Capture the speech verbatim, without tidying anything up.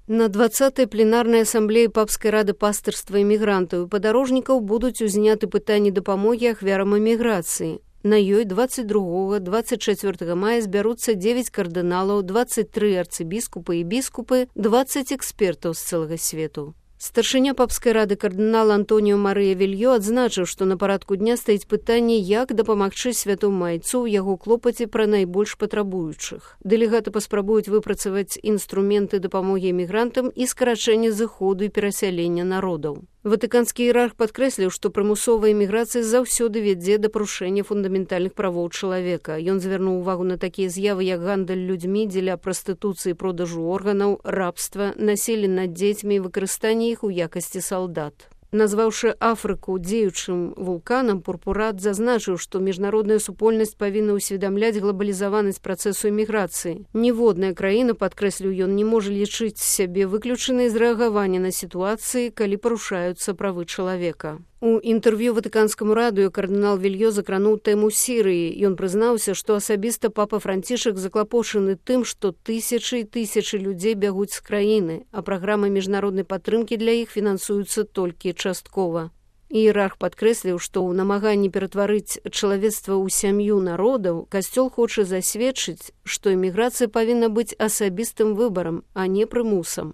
На двадцатай пленарнай асамблеі Папскай рады пастырства імігрантаў і падарожнікаў будуць узняты пытанні дапамогі ахвярам эміграцыі. На ёй дваццаць другога - дваццаць чацвёртага мая збяруцца дзевяць кардыналаў, дваццаць тры арцыбіскупы і біскупы, дваццаць экспертаў з цэлага свету. Старшыня Папскай рады кардынал Антоніо Марыя Вільё адзначыў, што на парадку дня стаіць пытанне, як дапамагчы святому майцу ў яго клопаце пра найбольш патрабуючых. Дэлегаты паспрабуюць выпрацаваць інструменты дапамогі эмігрантам і скарачэння зыходу і перасялення народаў. Ватыканскі іерарх падкрэсліў, што прымусовая эміграцыя заўсёды вядзе да парушэння фундаментальных правоў чалавека. Ён звярнуў увагу на такія з'явы, як гандаль людзьмі дзеля прастытуцыі, продажу органаў, рабства, насілля над дзецьмі і выкарыстанне іх у якасці салдат. Назваўшы Афрыку дзеючым вулканам, Пурпурат зазначыў, што міжнародная супольнасць павінна ўсведамляць глобалізаванасць працэсу эміграцыі. Ніводная краіна, падкрэсліў ён, не можа лічыць сябе выключанай з рэагавання на сітуацыі, калі парушаюцца правы чалавека. У інтэрв'ю Ватыканскаму радыё кардынал Вільё закрануў тэму Сірыі. Ён прызнаўся, што асабіста папа Францішак заклапошаны тым, што тысячы і тысячы людзей бягуць з краіны, а праграмы міжнароднай падтрымкі для іх фінансуюцца толькі часткова. Іерарх падкрэсліў, што ў намаганні ператварыць чалавецтва ў сям'ю народаў касцёл хоча засведчыць, што эміграцыя павінна быць асабістым выбарам, а не прымусам.